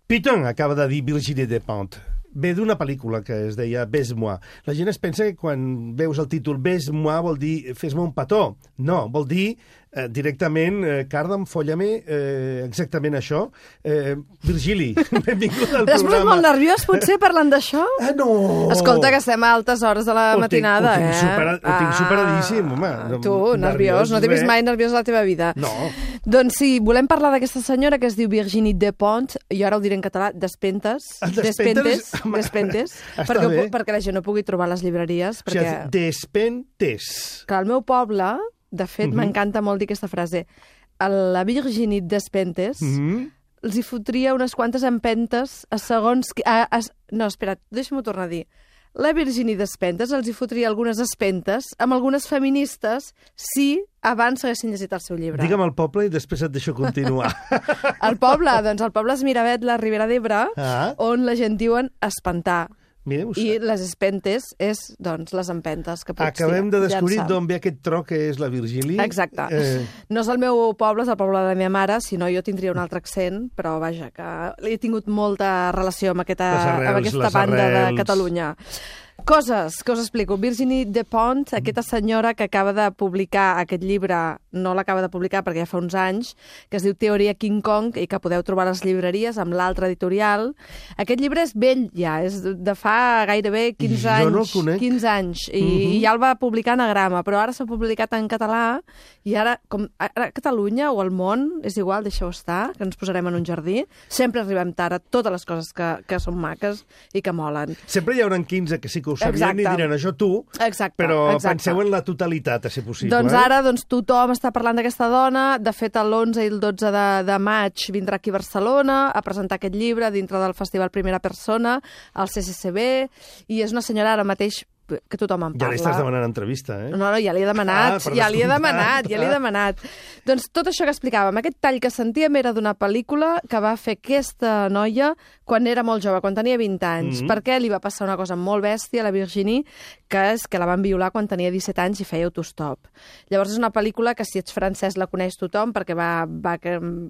Piton acaba de dir Virginie Despentes. Ve d'una pel·lícula que es deia Baise-moi. La gent es pensa que quan veus el títol Baise-moi vol dir fes-me un petó. No, vol dir directament carda'm, folla-me, exactament això. Virgili, benvingut al programa. T'has posat molt nerviós, potser, parlant d'això? No! Escolta, que estem a altes hores de la matinada, Ho tinc superadíssim, home. Tu, nerviós, no t'he vist mai nerviós a la teva vida. No. Doncs sí, volem parlar d'aquesta senyora que es diu Virginie Despentes, jo ara ho diré en català, Despentes, perquè la gent no pugui trobar les llibreries. O sigui, Despentes. Que al meu poble, de fet, m'encanta molt dir aquesta frase, la Virginie Despentes els hi fotria unes quantes empentes a segons... No, espera't, deixa'm-ho tornar a dir. La Virginie Despentes els hi fotria algunes espentes amb algunes feministes si abans s'haguessin llegit el seu llibre. Digue'm el poble i després et deixo continuar. El poble? Doncs el poble és Miravet, la Ribera d'Ebre, on la gent diuen espantar. I les espentes és, doncs, les empentes que pots Acabem de descobrir d'on ve aquest tro que és la Virgili. Exacte. No és el meu poble, és el poble de la meva mare, si no jo tindria un altre accent, però vaja, que he tingut molta relació amb aquesta banda de Catalunya. Coses que us explico. Virginie Despentes, aquesta senyora que acaba de publicar aquest llibre, no l'acaba de publicar perquè ja fa uns anys, que es diu Teoria King Kong i que podeu trobar a les llibreries amb l'altre editorial. Aquest llibre és vell ja, és de fa gairebé 15 anys. Jo no el conec. 15 anys. I ja el va publicar Anagrama, però ara s'ha publicat en català i ara, com a Catalunya o al món, és igual, deixeu estar, que ens posarem en un jardí. Sempre arribem tard a totes les coses que són maques i que molen. Sempre hi haurà 15 que sí que ho sabien i diran això tu, però penseu en la totalitat, a ser possible. Doncs ara tothom està parlant d'aquesta dona. De fet, l'11 i el 12 de maig vindrà aquí a Barcelona a presentar aquest llibre dintre del Festival Primera Persona, al CCCB, i és una senyora ara mateix que tothom en parla. Ja li estàs demanant entrevista, eh? No, ja li he demanat, ja li he demanat. Doncs tot això que explicàvem, aquest tall que sentíem era d'una pel·lícula que va fer aquesta noia quan era molt jove, quan tenia 20 anys, perquè li va passar una cosa molt bèstia a la Virginie, que és que la van violar quan tenia 17 anys i feia autostop. Llavors és una pel·lícula que si ets francès la coneix tothom, perquè va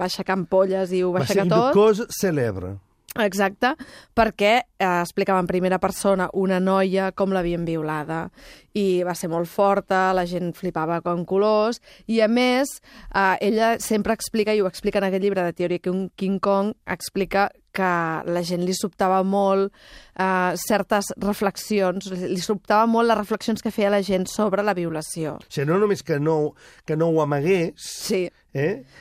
aixecar ampolles i ho va aixecar tot. Va ser une cause célèbre. Exacte, perquè explicava en primera persona una noia com l'havien violada i va ser molt forta, la gent flipava com colors i a més ella sempre explica, i ho explica en aquest llibre de Teoria King Kong, explica que la gent li sobtava molt certes reflexions, li sobtava molt les reflexions que feia la gent sobre la violació. O sigui, no només que no ho amagués,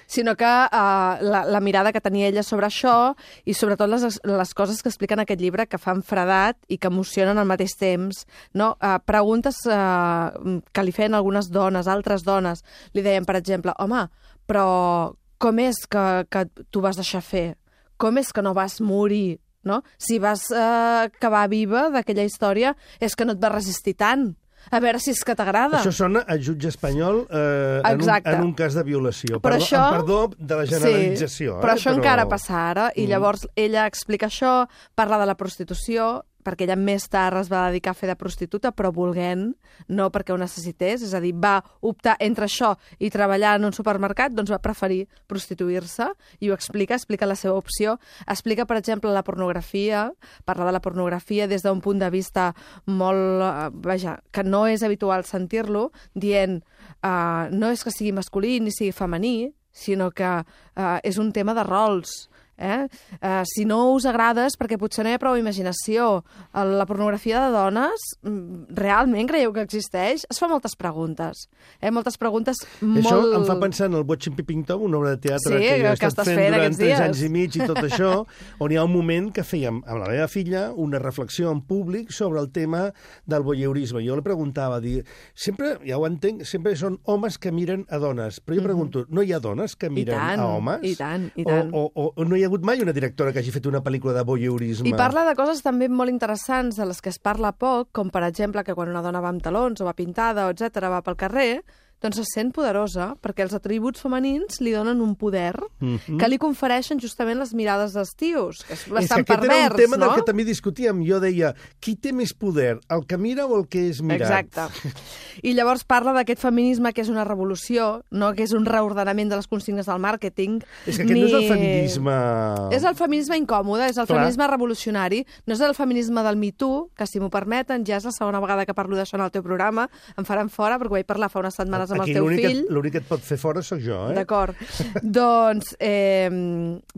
sinó que la mirada que tenia ella sobre això i sobretot les coses que expliquen en aquest llibre que fan fredat i que emocionen al mateix temps. No? Preguntes que li feien algunes dones, altres dones, li deien, per exemple, home, però com és que tu vas deixar fer? Com és que no vas morir? No? Si vas acabar viva d'aquella història és que no et vas resistir tant. A veure si és que t'agrada. Això sona a jutge espanyol en un cas de violació. Perdó de la generalització. Però això encara passa ara, i llavors ella explica això, parla de la prostitució, perquè ella més tard es va dedicar a fer de prostituta, però volent, no perquè ho necessités, és a dir, va optar entre això i treballar en un supermercat, doncs va preferir prostituir-se, i ho explica la seva opció. Explica, per exemple, la pornografia, parla de la pornografia des d'un punt de vista molt... que no és habitual sentir-lo, dient, no és que sigui masculí ni sigui femení, sinó que és un tema de rols. Si no us agrada és perquè potser no hi ha prou imaginació. La pornografia de dones realment creieu que existeix? Es fa moltes preguntes. Moltes preguntes molt... Això em fa pensar en el Watching Peeping Tom, una obra de teatre que jo he estat fent durant 3 anys i mig i tot això, on hi ha un moment que fèiem amb la meva filla una reflexió en públic sobre el tema del voyeurisme. Jo li preguntava, sempre, ja ho entenc, sempre són homes que miren a dones, però jo pregunto, no hi ha dones que miren a homes? I tant, i tant. O no hi ha hagut mai una directora que hagi fet una pel·lícula de voyeurisme. I parla de coses també molt interessants de les que es parla poc, com per exemple que quan una dona va amb talons o va pintada, etc va pel carrer, doncs se sent poderosa perquè els atributs femenins li donen un poder que li confereixen justament les mirades dels tios, que és bastant pervers, no? Aquest era un tema del que també discutíem. Jo deia, qui té més poder, el que mira o el que és mirat? Exacte. I llavors parla d'aquest feminisme que és una revolució, no que és un reordenament de les consignes del màrqueting. És que aquest no és el feminisme... És el feminisme incòmode, és el feminisme revolucionari, no és el feminisme del Me Too, que si m'ho permeten, ja és la segona vegada que parlo d'això en el teu programa, em faran fora perquè ho vaig parlar fa unes setmanes amb el teu fill. L'únic que et pot fer fora sóc jo, eh? D'acord. Doncs,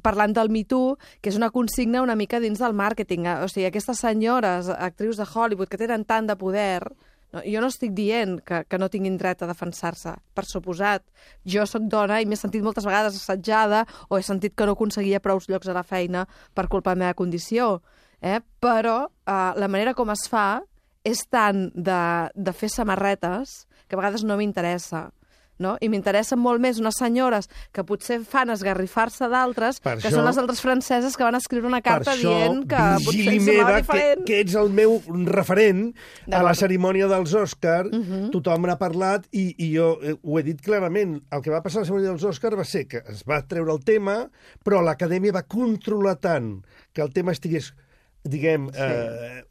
parlant del Me Too, que és una consigna una mica dins del màrqueting. O sigui, aquestes senyores, actrius de Hollywood, que tenen tant de poder, no, jo no estic dient que no tinguin dret a defensar-se. Per suposat, jo sóc dona i m'he sentit moltes vegades assetjada o he sentit que no aconseguia prou llocs a la feina per culpa de la meva condició. Però la manera com es fa és tant de fer samarretes que a vegades no m'interessa. No? I m'interessen molt més unes senyores que potser fan esgarrifar-se d'altres, que són les altres franceses que van escriure una carta dient que potser em semblava diferent. Que ets el meu referent a la cerimònia dels Òscar, tothom n'ha parlat i jo ho he dit clarament. El que va passar a la cerimònia dels Òscar va ser que es va treure el tema, però l'Acadèmia va controlar tant que el tema estigués, diguem,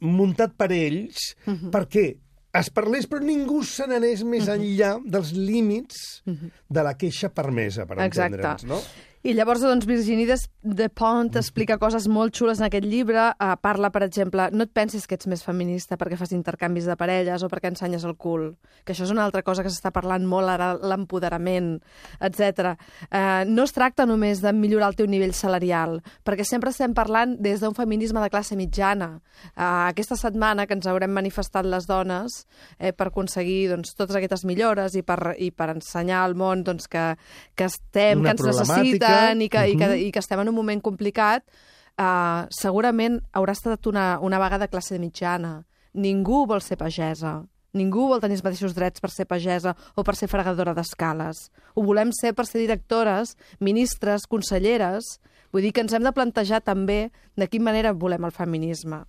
muntat per ells, perquè es parlés, però ningú se n'anés més enllà dels límits de la queixa permesa, per entendre'ns, no? I llavors, doncs, Virginie Despentes explica coses molt xules en aquest llibre. Parla, per exemple, no et pensis que ets més feminista perquè fas intercanvis de parelles o perquè ensenyes el cul, que això és una altra cosa que s'està parlant molt ara, l'empoderament, etc. No es tracta només de millorar el teu nivell salarial, perquè sempre estem parlant des d'un feminisme de classe mitjana. Aquesta setmana que ens haurem manifestat les dones per aconseguir doncs, totes aquestes millores i per ensenyar al món doncs, que estem, que ens necessiten, i que estem en un moment complicat, segurament haurà estat una vaga de classe mitjana. Ningú vol ser pagesa. Ningú vol tenir els mateixos drets per ser pagesa o per ser fregadora d'escales. Ho volem ser per ser directores, ministres, conselleres. Vull dir que ens hem de plantejar també de quina manera volem el feminisme.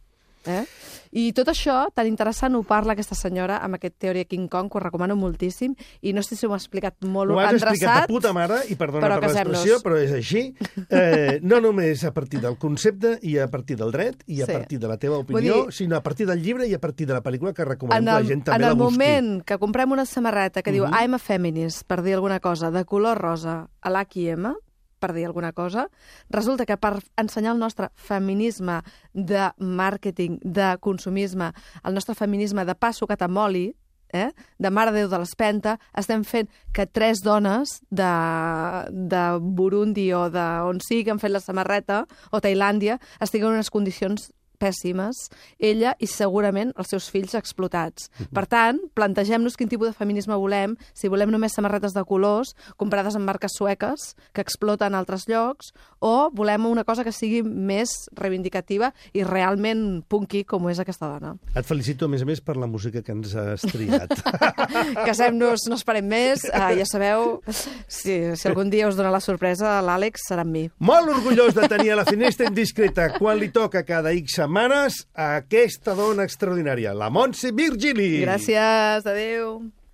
I tot això, tan interessant, ho parla aquesta senyora amb aquest Teoria King Kong, que ho recomano moltíssim, i no sé si ho m'ha explicat molt endreçat. Ho has explicat de puta mare, i perdona per l'expressió, però és així. No només a partir del concepte i a partir del dret i a partir de la teva opinió, sinó a partir del llibre i a partir de la pel·lícula, que recomanem que la gent també la busqui. En el moment que comprem una samarreta que diu I'm a feminist, per dir alguna cosa, de color rosa a l'H&M, per dir alguna cosa, resulta que per ensenyar el nostre feminisme de màrqueting, de consumisme, el nostre feminisme de pa sucat amb oli, de Mare de Déu de l'Espenta, estem fent que 3 dones de Burundi o d'on sigui que han fet la samarreta, o Tailàndia, estiguen en unes condicions pèssimes, ella i segurament els seus fills explotats. Per tant, plantegem-nos quin tipus de feminisme volem, si volem només samarretes de colors, comprades en marques sueques, que exploten a altres llocs, o volem una cosa que sigui més reivindicativa i realment punky, com és aquesta dona. Et felicito, a més, per la música que ens has triat. Casem-nos, no esperem més, ja sabeu, si algun dia us dona la sorpresa, l'Àlex serà amb mi. Molt orgullós de tenir a la Finestra Indiscreta, quan li toca cada X setmanes, a aquesta dona extraordinària, la Montse Virgili. Gràcies, adéu.